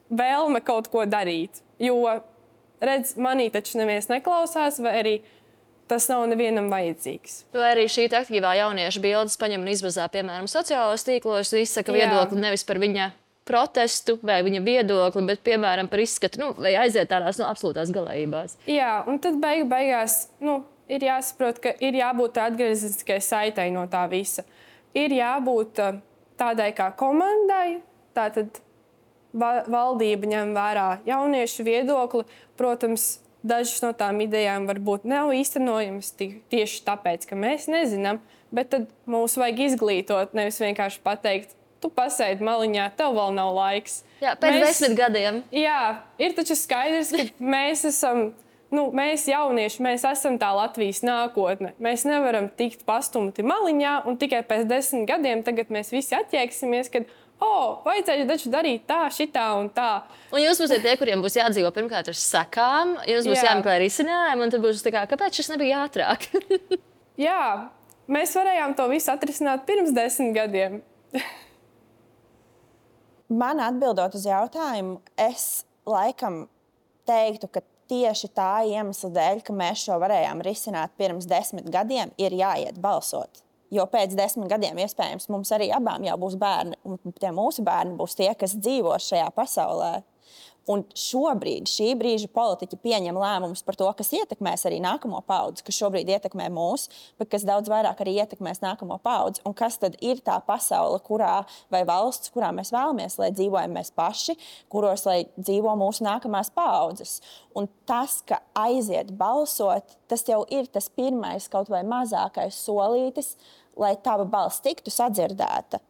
vēlme kaut ko darīt. Jo, redz, manī taču neviens neklausās, vai arī tas nav nevienam vajadzīgs. Vai arī šī aktīvā jaunieša bildes paņem un izbazā, piemēram, sociālos tīklos, izsaka viedokli nevis par viņa protestu vai viņa viedokli, bet, piemēram, par izskatu, nu, vai aiziet tādās nu, absolūtās galējībās. Jā, un tad beigu beigās nu, ir jāsaprot, ka ir jābūt atgriezeniskai saitei no tā visa. Ir jābūt tādai kā komandai, tātad valdība ņem vērā jauniešu viedokli. Protams, dažas no tām idejām varbūt nav īstenojamas tieši tāpēc, ka mēs nezinām, bet tad mums vajag izglītot, nevis vienkārši pateikt, tu pasēdi maliņā, tev vēl nav laiks. Jā, pēc mēs, desmit gadiem. Jā, ir taču skaidrs, ka mēs esam, nu, mēs jaunieši, mēs esam tā Latvijas nākotne. Mēs nevaram tikt pastumti maliņā un tikai pēc desmit gadiem tagad mēs visi atjēksimies, kad, o, oh, vajadzēja taču darīt tā, šitā un tā. Un jūs būsiet tie, kuriem būs jādzīvo pirmkārt ar sakām, jums būs Jā. jāmeklē risinājumi, un tad būs tā kā, kāpēc šis nebija ātrāk? Jā, mēs varējām to visu atrisināt pirms desmit gadiem. Man atbildot uz jautājumu, es laikam teiktu, ka tieši tā iemesla dēļ, ka mēs šo varējām risināt pirms desmit gadiem, ir jāiet balsot. Jo pēc desmit gadiem iespējams mums arī abām jau būs bērni, un tie mūsu bērni būs tie, kas dzīvo šajā pasaulē. Un šobrīd šī brīža politiķi pieņem lēmumus par to, kas ietekmēs arī nākamo paudzi, kas šobrīd ietekmē mūs, bet kas daudz vairāk arī ietekmēs nākamo paudzi. Un kas tad ir tā pasaule, kurā vai valsts, kurā mēs vēlamies, lai dzīvojam mēs paši, kuros lai dzīvo mūsu nākamās paudzes. Un tas, ka aiziet balsot, tas jau ir tas pirmais kaut vai mazākais solītis, lai tava balss tiktu sadzirdēta.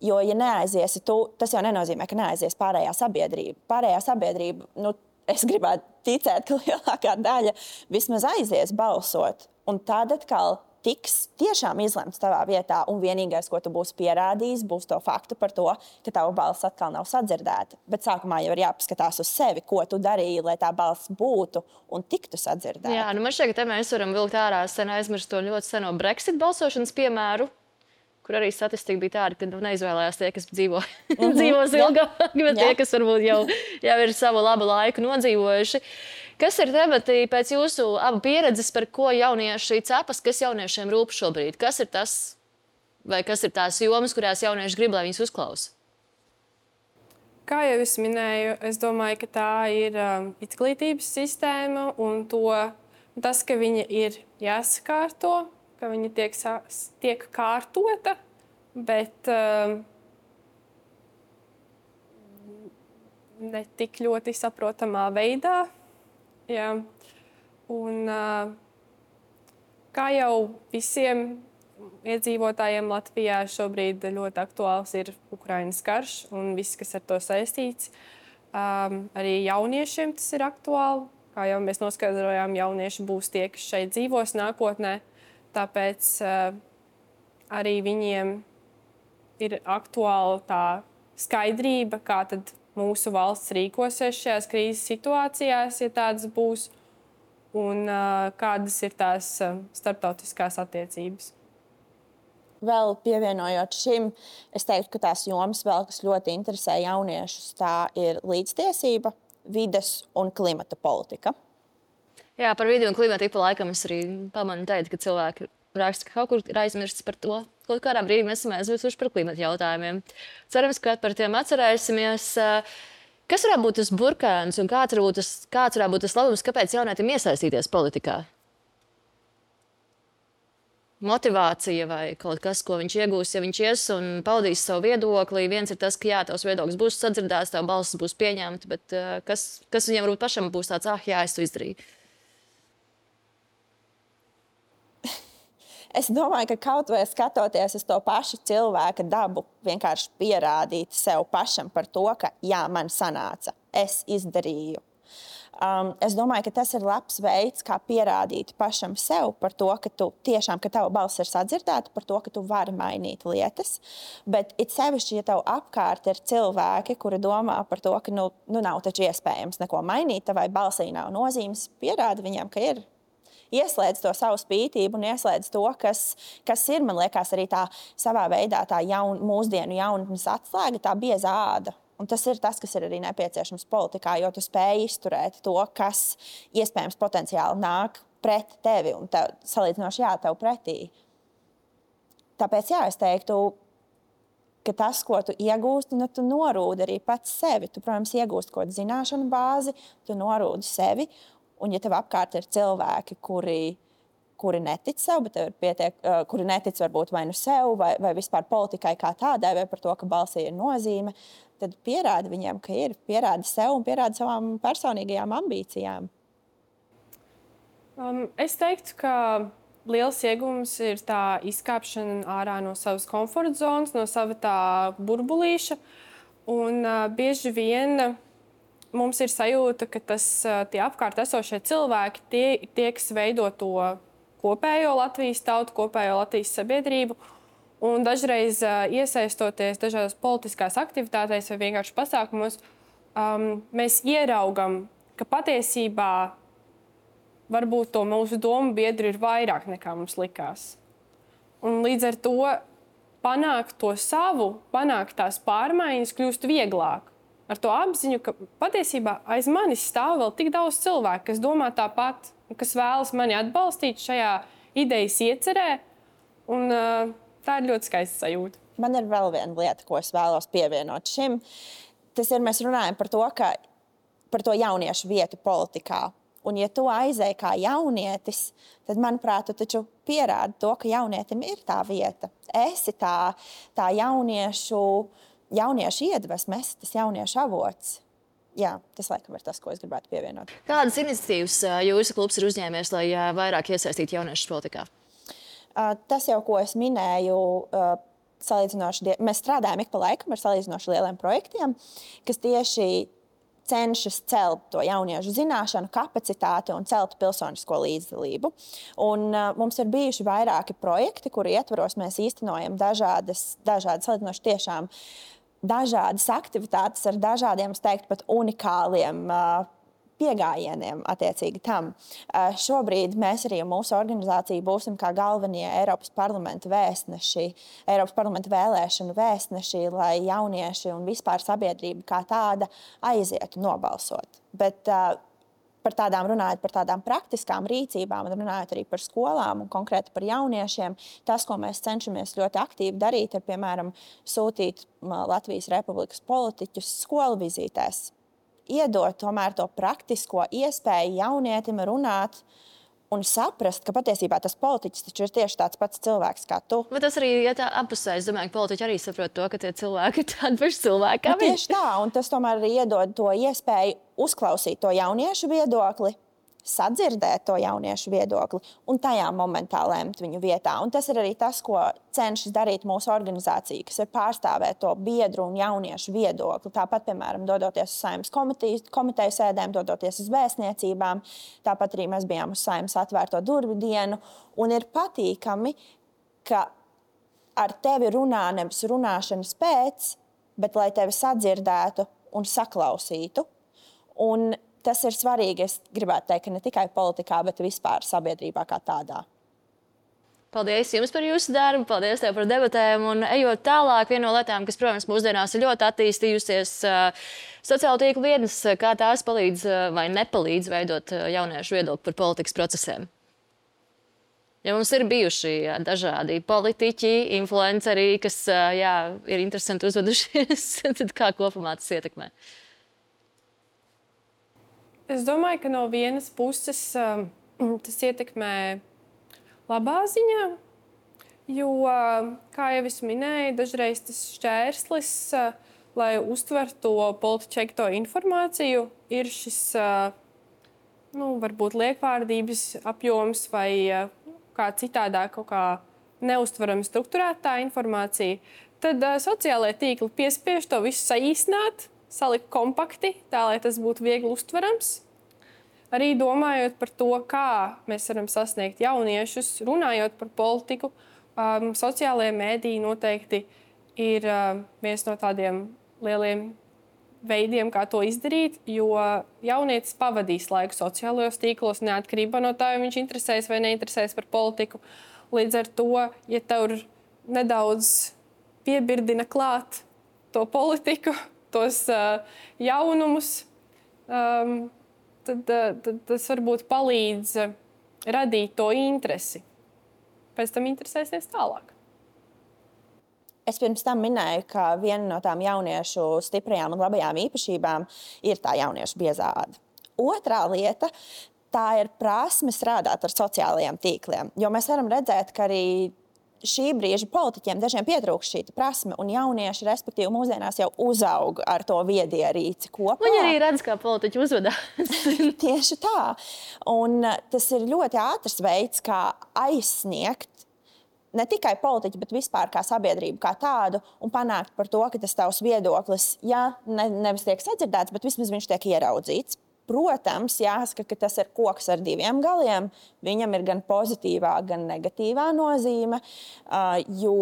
Jo, ja neaiziesi tu, tas jau nenozīmē, ka neaizies pārējā sabiedrība. Pārējā sabiedrība, nu, es gribētu ticēt, ka lielākā daļa vismaz aizies balsot. Un tad atkal tiks tiešām izlemts tavā vietā, un vienīgais, ko tu būsi pierādījis, būs to faktu par to, ka tava balss atkal nav sadzirdēta. Bet sākumā jau ir jāpaskatās uz sevi, ko tu darīji, lai tā balss būtu un tiktu sadzirdēta. Jā, nu man šķiet, ka te mēs varam vilkt ārā sen aizmirst to ļoti seno Brexit balsošanas piemēru, kur arī statistika bija tāda, ka neizvēlējās tie, kas dzīvo, mm-hmm. dzīvos ilgāk, bet tie, kas varbūt jau, jau ir savu labu laiku nodzīvojuši. Kas ir temati pēc jūsu abu pieredzes, par ko jaunieši cepas, kas jauniešiem rūp šobrīd? Kas ir tas, vai kas ir tās jomas, kurās jaunieši grib, lai viņus uzklausa? Kā jau es minēju, es domāju, ka tā ir um, izglītības sistēma un to, tas, ka viņa ir jāsakārto, ka viņa tiek, tiek kārtota, bet um, ne tik ļoti saprotamā veidā. Jā. Un, uh, kā jau visiem iedzīvotājiem Latvijā šobrīd ļoti aktuāls ir Ukrainas karš un viss, kas ar to saistīts. Um, arī jauniešiem tas ir aktuāli. Kā jau mēs noskaidrojām, jaunieši būs tie, kas šeit dzīvos nākotnē. Tāpēc uh, arī viņiem ir aktuāla tā skaidrība, kā tad mūsu valsts rīkosies šajās krīzes situācijās, ja tādas būs, un uh, kādas ir tās uh, starptautiskās attiecības. Vēl pievienojot šim, es teiktu, ka tās jomas vēl, kas ļoti interesē jauniešus, tā ir līdztiesība, vides un klimata politika. Jā, par vidi un klimatu ik pa laikam es arī pamanu teikt, ka cilvēki raksta, ka kaut kur ir aizmirsts par to. Kaut kādā brīdī mēs esam aizmirsuši par klimatu jautājumiem. Cerams, ka par tiem atcerēsimies. Kas varētu būt tas burkāns un kāds varētu būt tas, kāds varētu būt tas labums, kāpēc jaunietim iesaistīties politikā? Motivācija vai kaut kas, ko viņš iegūs, ja viņš ies un paudīs savu viedokli. Viens ir tas, ka jā, tavs viedoklis būs sadzirdēts, tavu balsis būs pieņemta, bet kas, kas viņam varbūt pašam būs tāds, ah, jā, es to izdarīju. Es domāju, ka kaut vai skatoties uz to pašu cilvēka dabu, vienkārši pierādīt sev pašam par to, ka jā, man sanāca, es izdarīju. Um, es domāju, ka tas ir labs veids, kā pierādīt pašam sev par to, ka tu tiešām, ka tava balss ir sadzirdēta, par to, ka tu vari mainīt lietas. Bet it sevišķi, ja tev apkārt ir cilvēki, kuri domā par to, ka nu, nu nav taču iespējams neko mainīt, tavai balsī nav nozīmes, pierādi viņam, ka ir. Ieslēdz to savu spītību un ieslēdz to, kas, kas ir, man liekas, arī tā savā veidā tā jaun, mūsdienu jaunatnes atslēga, tā bieza āda. Un tas ir tas, kas ir arī nepieciešams politikā, jo tu spēj izturēt to, kas iespējams potenciāli nāk pret tevi un tev, salīdzinoši jā, tev pretī. Tāpēc, jā, es teiktu, ka tas, ko tu iegūsti, nu, tu norūdi arī pats sevi. Tu, protams, iegūsti kaut kādu zināšanu bāzi, tu norūdi sevi. Un, ja tev apkārt ir cilvēki, kuri, kuri netic sev, bet tev ir pietiek, uh, kuri netic varbūt vai nu sev, vai, vai vispār politikai kā tādai, vai par to, ka balsī ir nozīme, tad pierādi viņiem, ka ir. Pierādi sev un pierādi savām personīgajām ambīcijām. Um, es teiktu, ka liels iegūms ir tā izkāpšana ārā no savas komforta zonas, no sava tā burbulīša. Un uh, bieži vien mums ir sajūta, ka tas, tie apkārt esošie cilvēki, tie, tie, kas veido to kopējo Latvijas tautu, kopējo Latvijas sabiedrību, un dažreiz iesaistoties dažādās politiskās aktivitātēs vai vienkārši pasākumos, um, mēs ieraugam, ka patiesībā varbūt to mūsu domu biedri ir vairāk nekā mums likās. Un līdz ar to panākt to savu, panākt tās pārmaiņas kļūst vieglāk. Ar to apziņu, ka patiesībā aiz manis stāv vēl tik daudz cilvēku, kas domā tāpat, kas vēlas mani atbalstīt šajā idejas iecerē. Un, uh, tā ir ļoti skaista sajūta. Man ir vēl viena lieta, ko es vēlos pievienot šim. Tas ir, mēs runājam par to, ka, par to jauniešu vietu politikā. Un, ja tu aizēji kā jaunietis, tad, manuprāt, tu taču pierādi to, ka jaunietim ir tā vieta. Esi tā, tā jauniešu, jauniešu iedvesme, esi tas jauniešu avots. Jā, tas laikam ir tas, ko es gribētu pievienot. Kādas iniciatīvas jūsu klubs ir uzņēmies, lai vairāk iesaistītu jauniešus politikā? Tas jau, ko es minēju, salīdzinoši, mēs strādājam ik pa laikam ar salīdzinoši lieliem projektiem, kas tieši cenšas celt to jauniešu zināšanu, kapacitāti un celt pilsonisko līdzdalību. Un, uh, mums ir bijuši vairāki projekti, kuru ietvaros mēs īstenojam dažādas, dažādas salīdzinoši tiešām dažādas aktivitātes ar dažādiem, es teiktu, pat unikāliem uh, piegājieniem attiecīgi tam. Uh, šobrīd mēs arī mūsu organizācija būsim kā galvenie Eiropas parlamenta vēstneši, Eiropas parlamenta vēlēšanu vēstneši, lai jaunieši un vispār sabiedrība kā tāda aizietu nobalsot. Bet uh, par tādām runājot par tādām praktiskām rīcībām un runājot arī par skolām un konkrēti par jauniešiem, tas, ko mēs cenšamies ļoti aktīvi darīt, ir, piemēram, sūtīt Latvijas Republikas politiķus skolu vizītēs. Iedot tomēr to praktisko iespēju jaunietim runāt un saprast, ka patiesībā tas politiķis taču ir tieši tāds pats cilvēks kā tu. Bet tas arī ir ja apusē. Es domāju, ka politiķi arī saprot to, ka tie cilvēki ir tādi paši cilvēki kā nu, viņi. Tieši tā, un tas tomēr arī iedod to iespēju uzklausīt to jauniešu viedokli, sadzirdēt to jauniešu viedokli un tajā momentā lemt viņu vietā. Un tas ir arī tas, ko cenšas darīt mūsu organizācija, kas ir pārstāvēt to biedru un jauniešu viedokli. Tāpat, piemēram, dodoties uz Saeimas komiteju sēdēm, dodoties uz vēstniecībām. Tāpat arī mēs bijām uz Saeimas atvērto durvju dienu. Un ir patīkami, ka ar tevi runā nevis runāšanas pēc, bet lai tevi sadzirdētu un saklausītu. Un tas ir svarīgi, es gribētu teikt, ka ne tikai politikā, bet vispār sabiedrībā kā tādā. Paldies jums par jūsu darbu, paldies tev par debatēm. Un ejot tālāk, viena no lietām, kas, protams, mūsdienās ir ļoti attīstījusies, uh, sociālo tīklu vietnes, kā tās palīdz uh, vai nepalīdz veidot uh, jauniešu viedokli par politikas procesiem. Ja mums ir bijuši jā, dažādi politiķi, influenceri, kas uh, jā, ir interesanti uzvedušies, tad kā kopumā tas ietekmē? Es domāju, ka no vienas puses um, tas ietekmē labā ziņā, jo, kā jau es minēju, dažreiz tas šķērslis, uh, lai uztvertu to politiķekto informāciju, ir šis, uh, nu, varbūt liekvārdības apjoms vai uh, kā citādā kaut kā neuztverama strukturētā informācija. Tad uh, sociālajie tīkli piespiež to visu saīsināt, salikt kompakti, tā, lai tas būtu viegli uztverams. Arī domājot par to, kā mēs varam sasniegt jauniešus, runājot par politiku, um, sociālajie mēdīji noteikti ir uh, viens no tādiem lieliem veidiem, kā to izdarīt, jo jaunietis pavadīs laiku sociālajos tīklos, neatkarībā no tā, vai viņš interesēs vai neinteresēs par politiku. Līdz ar to, ja tev nedaudz piebirdina klāt to politiku, tos uh, jaunumus, um, tad, uh, tad tas varbūt palīdz uh, radīt to interesi. Pēc tam interesēsies tālāk. Es pirms tam minēju, ka viena no tām jauniešu stiprajām un labajām īpašībām ir tā jauniešu biezā āda. Otrā lieta, tā ir prasme strādāt ar sociālajiem tīkliem. Jo mēs varam redzēt, ka arī šī brīža politiķiem dažiem pietrūkst šī prasme, un jaunieši, respektīvi, mūsdienās jau uzaug ar to viedierīci kopā. Viņi arī redz, kā politiķi uzvedās. Tieši tā. Un tas ir ļoti ātrs veids, kā aizsniegt ne tikai politiķi, bet vispār kā sabiedrību kā tādu, un panākt par to, ka tas tavs viedoklis, ja ne, nevis tiek sadzirdēts, bet vismaz viņš tiek ieraudzīts. Protams, jāsaka, ka tas ir koks ar diviem galiem. Viņam ir gan pozitīvā, gan negatīvā nozīme, jo,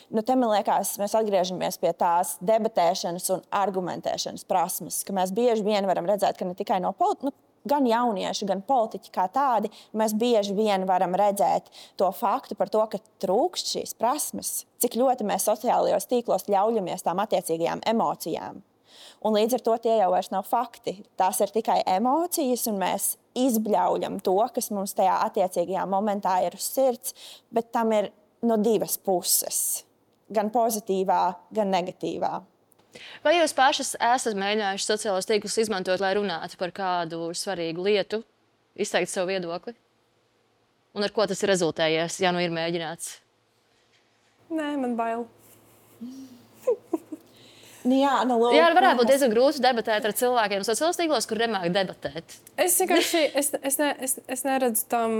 nu, te man liekas, mēs atgriežamies pie tās debatēšanas un argumentēšanas prasmes, ka mēs bieži vien varam redzēt, ka ne tikai no politiķa, nu, gan jaunieši, gan politiķi kā tādi, mēs bieži vien varam redzēt to faktu par to, ka trūkst šīs prasmes, cik ļoti mēs sociālajos tīklos ļaujamies tām attiecīgajām emocijām. Un līdz ar to tie jau vairs nav fakti. Tās ir tikai emocijas, un mēs izbļaujam to, kas mums tajā attiecīgajā momentā ir uz sirds, bet tam ir no divas puses. Gan pozitīvā, gan negatīvā. Vai jūs pašas esat mēģinājuši sociālos tīklus izmantot, lai runātu par kādu svarīgu lietu, izteikt savu viedokli? Un ar ko tas ir rezultējies, ja nu ir mēģināts? Nē, man bail. Jā, nu, lūk, Jā, varētu būt diezgan grūti debatēt ar cilvēkiem sociālos tīklos, kur nemāk debatēt. Es vienkārši es, es, ne, es, es neredzu tam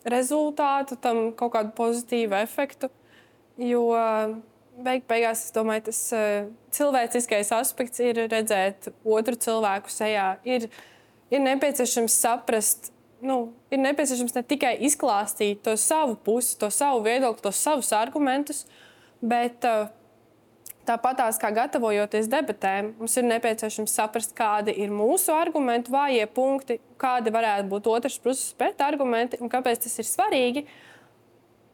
rezultātu, tam kaut kādu pozitīvu efektu. Jo beig, beigās, es domāju, tas cilvēciskais aspekts ir redzēt otru cilvēku sejā. Ir, ir nepieciešams saprast, nu, ir nepieciešams ne tikai izklāstīt to savu pusi, to savu viedokli, tos savus argumentus, bet tāpatās kā gatavojoties debatēm, mums ir nepieciešams saprast, kādi ir mūsu argumentu vājie punkti, kādi varētu būt otrs puses pretargumenti un kāpēc tas ir svarīgi.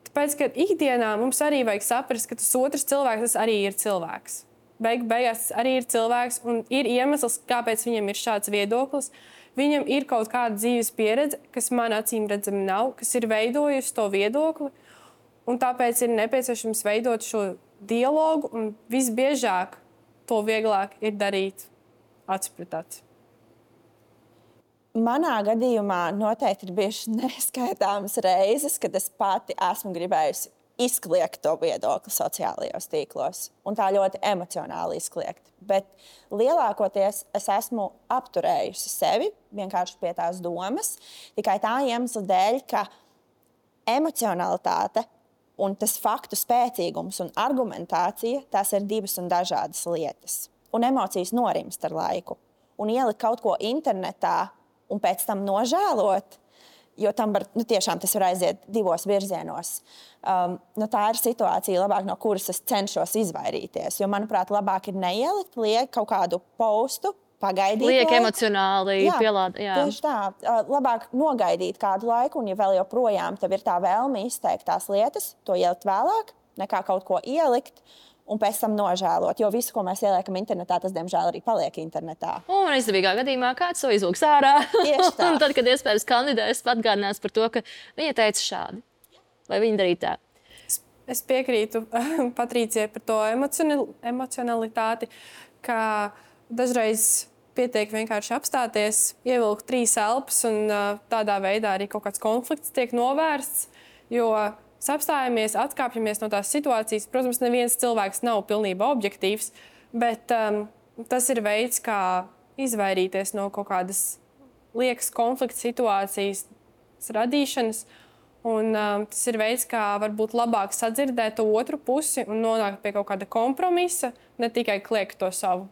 Tāpēc, ka ikdienā mums arī vajag saprast, ka tas otrs cilvēks tas arī ir cilvēks. Beig, beigās tas arī ir cilvēks un ir iemesls, kāpēc viņam ir šāds viedoklis. Viņam ir kaut kāda dzīves pieredze, kas man acīm redzami nav, kas ir veidojusi to viedokli. Un tāpēc ir nepieciešams veidot šo dialogu un visbiežāk to vieglāk ir darīt acu pret acu. Manā gadījumā noteikti ir bijušas neskaitāmas reizes, kad es pati esmu gribējusi izkliegt to viedokli sociālajos tīklos. Un tā ļoti emocionāli izkliegt. Bet lielākoties es esmu apturējusi sevi vienkārši pie tās domas, tikai tā iemesla dēļ, ka emocionalitāte un tas faktu spēcīgums un argumentācija, tās ir divas un dažādas lietas. Un emocijas norimst ar laiku. Un ielikt kaut ko internetā un pēc tam nožēlot, jo tam var, nu, tiešām tas var aiziet divos virzienos. Um, nu, tā ir situācija, labāk, no kuras es cenšos izvairīties. Jo, manuprāt, labāk ir neielikt liek kaut kādu postu, pagaidīt. Liek laiku. emocionāli pielāda. Jā, tieši tā. Uh, labāk nogaidīt kādu laiku, un ja vēl joprojām tev ir tā vēlme izteikt tās lietas, to ielikt vēlāk, nekā kaut ko ielikt, un pēc tam nožēlot, jo visu, ko mēs ieliekam internetā, tas, diemžēl, arī paliek internetā. Un izdevīgā gadījumā kāds to izlūks ārā. Tieši tā. Un tad, kad iespējams kandidēs, atgādinās par to, ka viņa teica šādi. Vai viņa darīja tā? Es piekrītu Patricijai par to emocionalitāti, ka dažreiz pietiek vienkārši apstāties, ievilkt trīs elpas un tādā veidā arī kaut kāds konflikts tiek novērsts, jo apstājamies, atkāpjamies no tās situācijas. Protams, neviens cilvēks nav pilnībā objektīvs, bet um, tas ir veids, kā izvairīties no kaut kādas liekas konflikta situācijas radīšanas. Un, um, tas ir veids, kā varbūt labāk sadzirdēt to otru pusi un nonākt pie kaut kāda kompromisa, ne tikai kliegt to savu.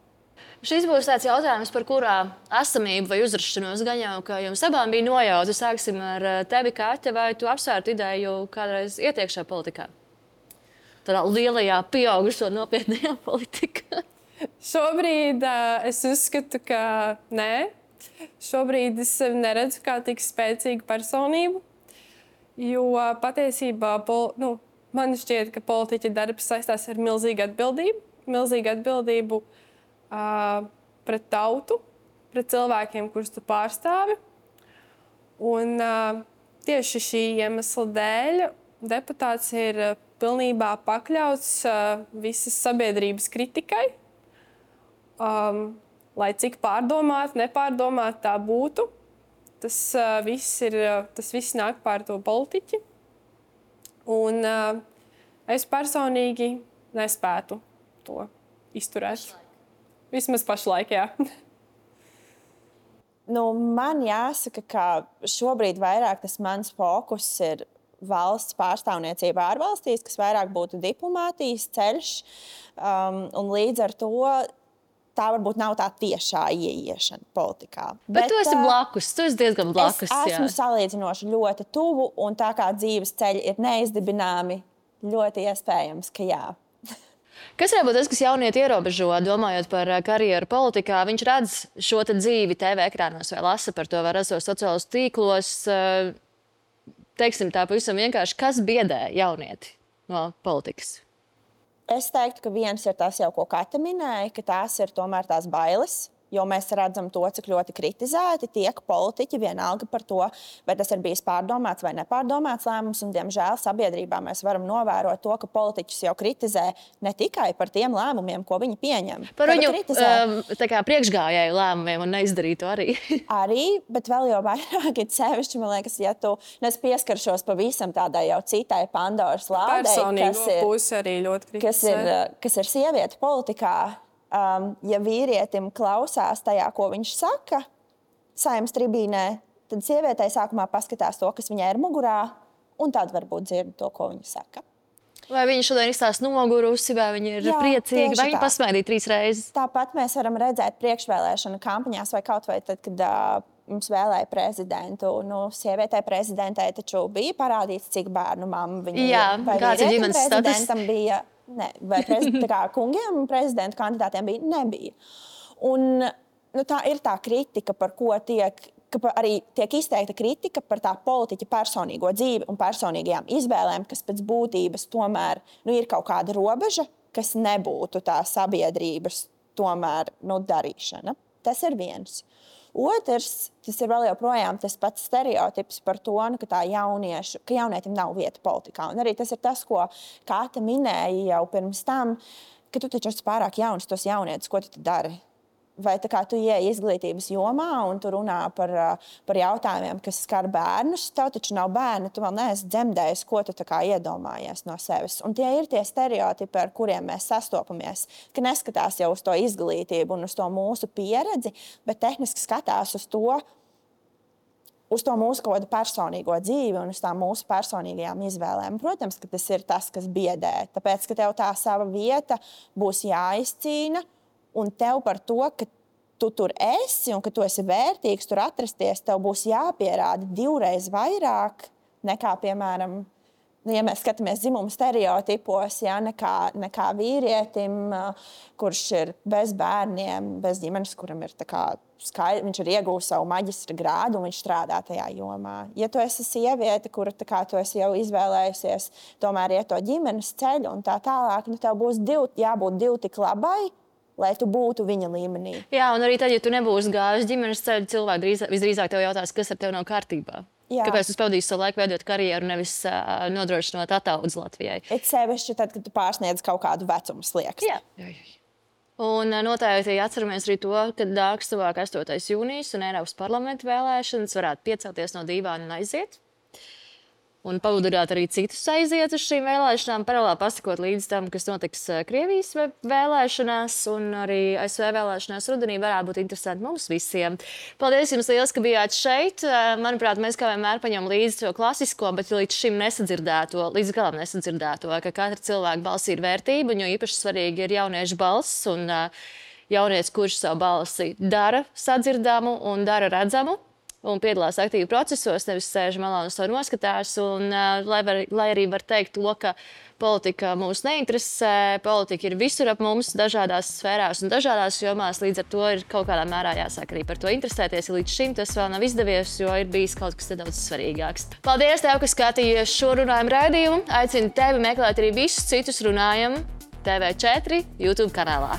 Šis būs tāds jautājums, par kurā esamību vai uzrašanos gan jau, ka jums abām bija nojauta. Sāksim ar tevi, Kāte, vai tu apsvērtu ideju kādreiz ietiekšā politikā? Tādā lielajā, pieaugušo nopietnajā politikā. Šobrīd uh, es uzskatu, ka nē. Šobrīd es neredzu kā tik spēcīgu personību, jo patiesībā pol, nu, man šķiet, ka politiķa darbs saistās ar milzīgu atbildību. Milzīgu atbildību Uh, pret tautu, pret cilvēkiem, kurus tu pārstāvi. Un uh, tieši šī iemesla dēļ deputāts ir uh, pilnībā pakļauts uh, visas sabiedrības kritikai. Um, lai cik pārdomāt, nepārdomāt tā būtu, tas, uh, viss, ir, uh, tas viss nāk pār to politiķi. Un uh, es personīgi nespētu to izturēt. Vismaz pašlaik, jā. Nu, man jāsaka, ka šobrīd vairāk tas mans fokus ir valsts pārstāvniecība ārvalstīs, kas vairāk būtu diplomātijas ceļš. Um, un līdz ar to tā varbūt nav tā tiešā ieiešana politikā. Bet, Bet tu esi blakus, tu esi diezgan blakus. Es esmu jā. salīdzinoši ļoti tuvu, un tā kā dzīves ceļi ir neizdibināmi, ļoti iespējams, ka jā. Kas varbūt tas, kas jaunieti ierobežo, domājot par karjeru politikā, viņš redz šo dzīvi T V ekrānos vai lasa par to, vai rasos sociālos tīklos. Teiksim tā pavisam vienkārši, kas biedē jaunieti no politikas? Es teiktu, ka viens ir tas jau, ko Kata minēja, ka tās ir tomēr tās bailes. Jo mēs redzam to, cik ļoti kritizēti tiek politiķi vienalga par to, vai tas ir bijis pārdomāts vai nepārdomāts lēmums. Un, diemžēl, sabiedrībā mēs varam novērot to, ka politiķus jau kritizē ne tikai par tiem lēmumiem, ko viņi pieņem. Par viņu um, tā kā priekšgājēju lēmumiem un neizdarītu arī. Arī, bet vēl jau vairāk ir sevišķi, man liekas, ja tu nes pieskaršos pavisam tādai jau citai Pandoras lādei, kas ir, pusi arī ļoti kritizē. Kas ir, kas ir sieviete politikā. Um, ja vīrietim klausās tajā, ko viņš saka Saeimas tribīnē, tad sievietei sākumā paskatās to, kas viņai ir mugurā, un tad varbūt dzird to, ko viņa saka. Vai viņi šodien izstās nogurusi, vai viņi ir Jā, priecīgi, vai viņi pasmaidīja trīs reizes? Tāpat mēs varam redzēt priekšvēlēšanu kampaņās vai kaut vai tad, kad uh, mums vēlēja prezidentu. Nu, sievietē prezidentē taču bija parādīts, cik bērnu mamma viņa Jā, ir. Vai kāds ir ģimenes prezidentam status? Bija, ne, vai prez, kā kungiem prezidentu kandidātiem bija, nebija. Un nu, tā ir tā kritika, par ko tiek, ka arī tiek izteikta kritika par tā politiķa personīgo dzīvi un personīgajām izvēlēm, kas pēc būtības tomēr nu, ir kaut kāda robeža, kas nebūtu tā sabiedrības tomēr nu, darīšana. Tas ir viens. Otrs, tas ir vēl joprojām tas pats stereotips par to, nu, ka, tā jauniešu, ka jaunietim nav vieta politikā. Un arī tas ir tas, ko Kāta minēja jau pirms tam, ka tu taču esi pārāk jauns, tos jaunietis, ko tu dari? Vai tā kā tu ieej izglītības jomā un tu runā par, par jautājumiem, kas skar bērnus, tev taču nav bērni, tu vēl neesi dzemdējis, ko tu tā kā iedomājies no sevis. Un tie ir tie stereotipi, ar kuriem mēs sastopamies, ka neskatās jau uz to izglītību un uz to mūsu pieredzi, bet tehniski skatās uz to, uz to mūsu kaut kādu personīgo dzīvi un uz tām mūsu personīgajām izvēlēm. Protams, ka tas ir tas, kas biedē, tāpēc, ka tev tā sava vieta būs jāizcīna. Un tev par to, ka tu tur esi un ka tu esi vērtīgs tur atrasties, tev būs jāpierāda divreiz vairāk nekā, piemēram, nu, ja mēs skatāmies dzimumu stereotipos, ja, nekā, nekā vīrietim, kurš ir bez bērniem, bez ģimenes, kuram ir tā kā skaidrs, viņš ir iegūst savu maģistra grādu un viņš strādā tajā jomā. Ja tu esi sieviete, kura tā kā tu esi jau izvēlējusies tomēr iet to ģimenes ceļu un tā tālāk, nu tev būs div, jābūt div tik labai, lai tu būtu viņa līmenī. Jā, un arī tad, ja tu nebūsi gājis ģimenes ceļu, cilvēki drīz, visdrīzāk tev jautās, kas ar tevi nav kārtībā. Jā. Kāpēc tu pavadīsi savu laiku veidot karjeru, nevis uh, nodrošinot ataudzi Latvijai? It sevišķi tad, kad tu pārsniedz kaut kādu vecumu slieksni. Jā. Jā, jā. Un uh, noteikti atceramies arī to, ka nāks tuvāk astotais jūnijas un Eiropas parlamenta vēlēšanas varētu piecelties no dīvāna un aiziet. Un pavudināt arī citus aiziet uz šīm vēlēšanām, paralēli pasakot līdz tam, kas notiks Krievijas vēlēšanās un arī A S V vēlēšanās rudenī varētu būt interesanti mums visiem. Paldies jums liels, ka bijāt šeit. Manuprāt, mēs kā vienmēr paņem līdzi to klasisko, bet līdz šim nesadzirdēto, līdz galam nesadzirdēto, ka katra cilvēka balsī ir vērtība, un jo īpaši svarīgi ir jauniešu balss un jaunietis, kurš savu balsi dara sadzirdamu un dara redzamu. Un piedalās aktīvi procesos, nevis sēž malā un to noskatās. Un, uh, lai, var, lai arī var teikt to, ka politika mūs neinteresē, politika ir visur ap mums, dažādās sfērās un dažādās jomās, līdz ar to ir kaut kādā mērā jāsāk arī par to interesēties. Līdz šim tas vēl nav izdevies, jo ir bijis kaut kas nedaudz svarīgāks. Paldies tev, ka skatījies šo runājumu raidījumu. Aicinu tevi meklēt arī visus citus runājumu T V četri YouTube kanālā.